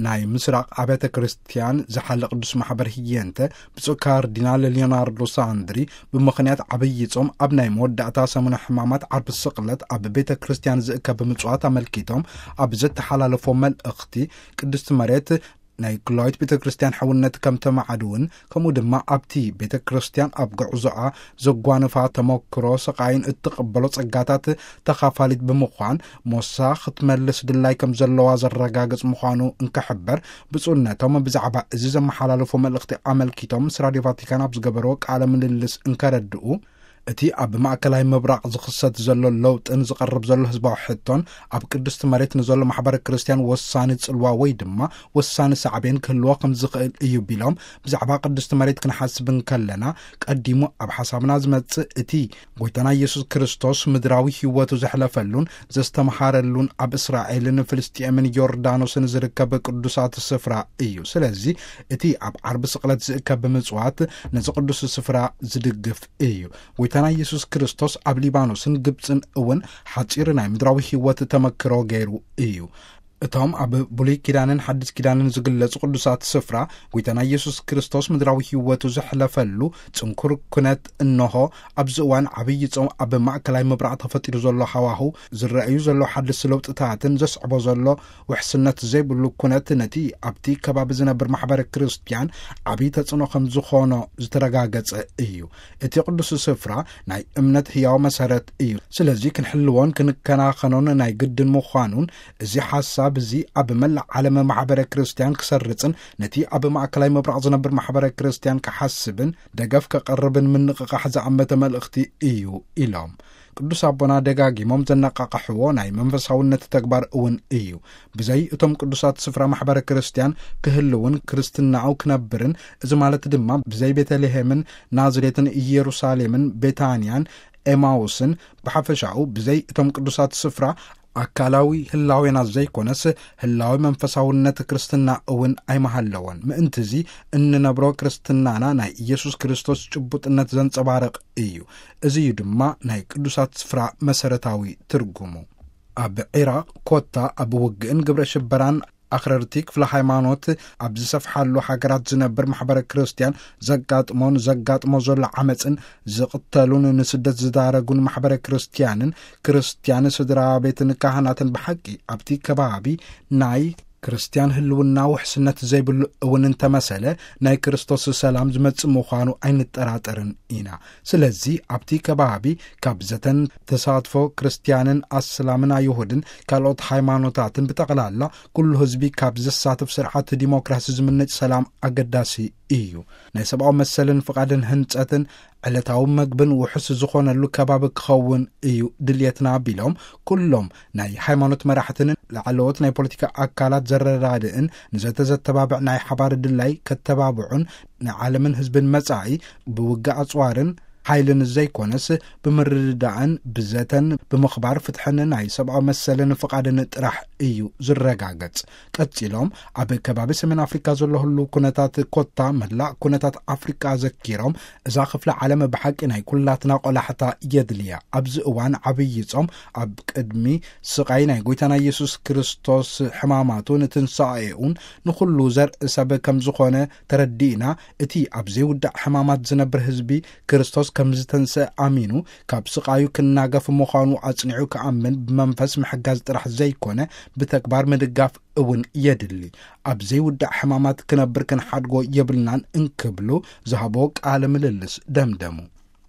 ናይ ምስራቕ ኣብያተ ክርስቲያን ዝሓለ ቅዱስ ማሕበር ህየንተ ብፁዕ ካርዲናል ሊዮናርዶ ሳንድሪ፣ ብምኽንያት ዓብዪ ጾም ኣብ ናይ መወዳእታ ሰሙነ ሕማማት ዓርቢ ስቕለት ኣብ ቤተ ክርስቲያን ዝእከብ ምጽዋት ኣመልኪቶም ኣብ ዘተሓላለፎ መልእኽቲ፣ ቅድስቲ መሬት ናይ ክላዊት ቤተ ክርስቲያን ሕውነት ከም ተማዕድውን፣ ከምኡ ድማ ኣብቲ ቤተ ክርስቲያን ኣብ ጉዕዞኣ ዘጓንፋ ተመክሮ ስቓይን እትቕበሎ ጸጋታት ተኻፋሊት ብምዃን፣ ሞሳ ክትመልስ ድላይ ከም ዘለዋ ዘረጋግጽ ምዃኑ እንክሕበር፣ ብፁዕነቶም ብዛዕባ እዚ ዘመሓላለፎ መልእኽቲ ኣመልኪቶም ምስ ራድዮ ቫቲካን ኣብ ዝገበርዎ ቃለ ምልልስ እንከረድኡ፣ እቲ ኣብ ማእከላይ ምብራቕ ዝኽሰት ዘሎ ለውጥን ዝቐርብ ዘሎ ህዝባዊ ሕቶን፣ ኣብ ቅድስቲ መሬት ንዘሎ ማሕበረ ክርስቲያን ወሳኒ ጽልዋ ወይ ድማ ወሳኒ ሳዕቤን ክህልዎ ከም ዝኽእል እዩ ቢሎም፣ ብዛዕባ ቅድስቲ መሬት ክንሓስብ እንከለና፣ ቀዲሙ ኣብ ሓሳብና ዝመጽእ እቲ ጎይታና ኢየሱስ ክርስቶስ ምድራዊ ህይወቱ ዘሕለፈሉን ዘስተምሃረሉን ኣብ እስራኤልን ፍልስጥኤምን ዮርዳኖስን ዝርከብ ቅዱሳት ስፍራ እዩ። ስለዚ እቲ ኣብ ዓርቢ ስቕለት ዝእከብ ምጽዋት ነዚ ቅዱስ ስፍራ ዝድግፍ እዩ። ጎይታና ኢየሱስ ክርስቶስ ኣብ ሊባኖስን ግብጽን እውን ሓጺር ናይ ምድራዊ ህይወት ተመክሮ ገይሩ እዩ። እቶም ኣብ ብሉይ ኪዳንን ሓድስ ኪዳንን ዝግለጹ ቅዱሳት ስፍራ፣ ጎይታና ኢየሱስ ክርስቶስ ምድራዊ ህይወቱ ዘሕለፈሉ ጽንኩር ኩነት፣ እንሆ ኣብዚ እዋን ዓብዪ ጾም ኣብ ማእከላይ ምብራቕ ተፈጢሩ ዘሎ ሃዋሁ፣ ዝረኣዩ ዘለዉ ሓደስቲ ለውጥታትን ዘስዕቦ ዘሎ ውሕስነት ዘይብሉ ኩነት ነቲ ኣብቲ ከባቢ ዝነብር ማሕበረ ክርስቲያን ዓብዪ ተጽዕኖ ከም ዝኾኖ ዝተረጋገጸ እዩ። እቲ ቅዱስ ስፍራ ናይ እምነት ህያው መሰረት እዩ። ስለዚ ክንሕልዎን ክንከናኸኖን ናይ ግድን ምዃኑን፣ እዚ ሓሳብ እዚ ኣብ መላእ ዓለም ማሕበረ ክርስቲያን ክሰርጽን ነቲ ኣብ ማእከላይ ምብራቕ ዝነብር ማሕበረ ክርስቲያን ክሓስብን ደገፍ ከቐርብን ምንቕቓሕ ዝኣመተ መልእኽቲ እዩ ኢሎም። ቅዱስ ኣቦና ደጋጊሞም ዘነቃቕሕዎ ናይ መንፈሳውነት ተግባር እውን እዩ። ብዘይ እቶም ቅዱሳት ስፍራ ማሕበረ ክርስቲያን ክህልውን ክርስትናኡ ክነብርን፣ እዚ ማለት ድማ ብዘይ ቤተልሔምን ናዝሬትን ኢየሩሳሌምን ቤታንያን ኤማውስን ብሓፈሻኡ ብዘይ እቶም ቅዱሳት ስፍራ ኣካላዊ ህላዌና ዘይኮነስ ህላዊ መንፈሳውነት ክርስትና እውን ኣይመሃለወን። ምእንትዚ እንነብሮ ክርስትናና ናይ ኢየሱስ ክርስቶስ ጭቡጥነት ዘንጸባርቕ እዩ። እዚ እዩ ድማ ናይ ቅዱሳት ስፍራ መሰረታዊ ትርጉሙ። ኣብ ዒራቕ ኮታ ኣብ ውግእን ግብረ ሽበራን ኣኽረርቲ ክፍለ ሃይማኖት ኣብ ዝሰፍሓሉ ሃገራት ዝነብር ማሕበረ ክርስቲያን ዘጋጥሞን ዘጋጥሞ ዘሎ ዓመፅን ዝቕተሉን ንስደት ዝዳረጉን ማሕበረ ክርስቲያንን ክርስቲያን ስድራ ቤትን ካህናትን ብሓቂ ኣብቲ ከባቢ ናይ ክርስቲያን ህልውና ውሕስነት ዘይብሉ እውን እንተመሰለ ናይ ክርስቶስ ሰላም ዝመጽእ ምዃኑ ኣይንጠራጠርን ኢና። ስለዚ ኣብቲ ከባቢ ካብ ዘተን ተሳትፎ ክርስቲያንን ኣስላምን ኣይሁድን ካልኦት ሃይማኖታትን ብጠቕላላ ኩሉ ህዝቢ ካብ ዘሳትፍ ስርዓት ዲሞክራሲ ዝምንጭ ሰላም ኣገዳሲ እዩ። ናይ ሰብኣዊ መሰልን ፍቓድን ህንጸትን ዕለታዊ መግብን ውሑስ ዝኾነሉ ከባቢ ክኸውን እዩ ድልየትና ቢሎም፣ ኩሎም ናይ ሃይማኖት መራሕትን ላዕለዎት ናይ ፖለቲካ ኣካላት ዘረዳድእን ንዘተዘተባብዕ ናይ ሓባር ድላይ ከተባብዑን ንዓለምን ህዝብን መጻኢ ብውግእ ኣጽዋርን ሓይልን ዘይኮነስ ብምርድዳእን ብዘተን ብምኽባር ፍትሕን ናይ ሰብኣዊ መሰልን ፍቓድን ጥራሕ እዩ ዝረጋገጽ። ቀጺሎም ኣብ ከባቢ ሰሜን ኣፍሪካ ዘሎ ህሉ ኩነታት ኮታ መላእ ኩነታት ኣፍሪካ ዘኪሮም እዛ ክፍለ ዓለም ብሓቂ ናይ ኩላትና ቆላሕታ የድልያ። ኣብዚ እዋን ዓብዪ ጾም ኣብ ቅድሚ ስቓይ ናይ ጎይታና ኢየሱስ ክርስቶስ ሕማማቱን ትንሳኤኡን ንኹሉ ዘርኢ ሰብ ከም ዝኾነ ተረዲእና፣ እቲ ኣብ ዘይውዳእ ሕማማት ዝነብር ህዝቢ ክርስቶስ ከም ዝተንስአ ኣሚኑ ካብ ስቓዩ ክናገፍ ምዃኑ ኣጽኒዑ ክኣምን ብመንፈስ ምሕጋዝ ጥራሕ ዘይኮነ ብተግባር ምድጋፍ እውን የድሊ። ኣብ ዘይውዳእ ሕማማት ክነብር ክንሓድጎ የብልናን እንክብሉ ዝሃቦ ቃለ ምልልስ ደምደሙ።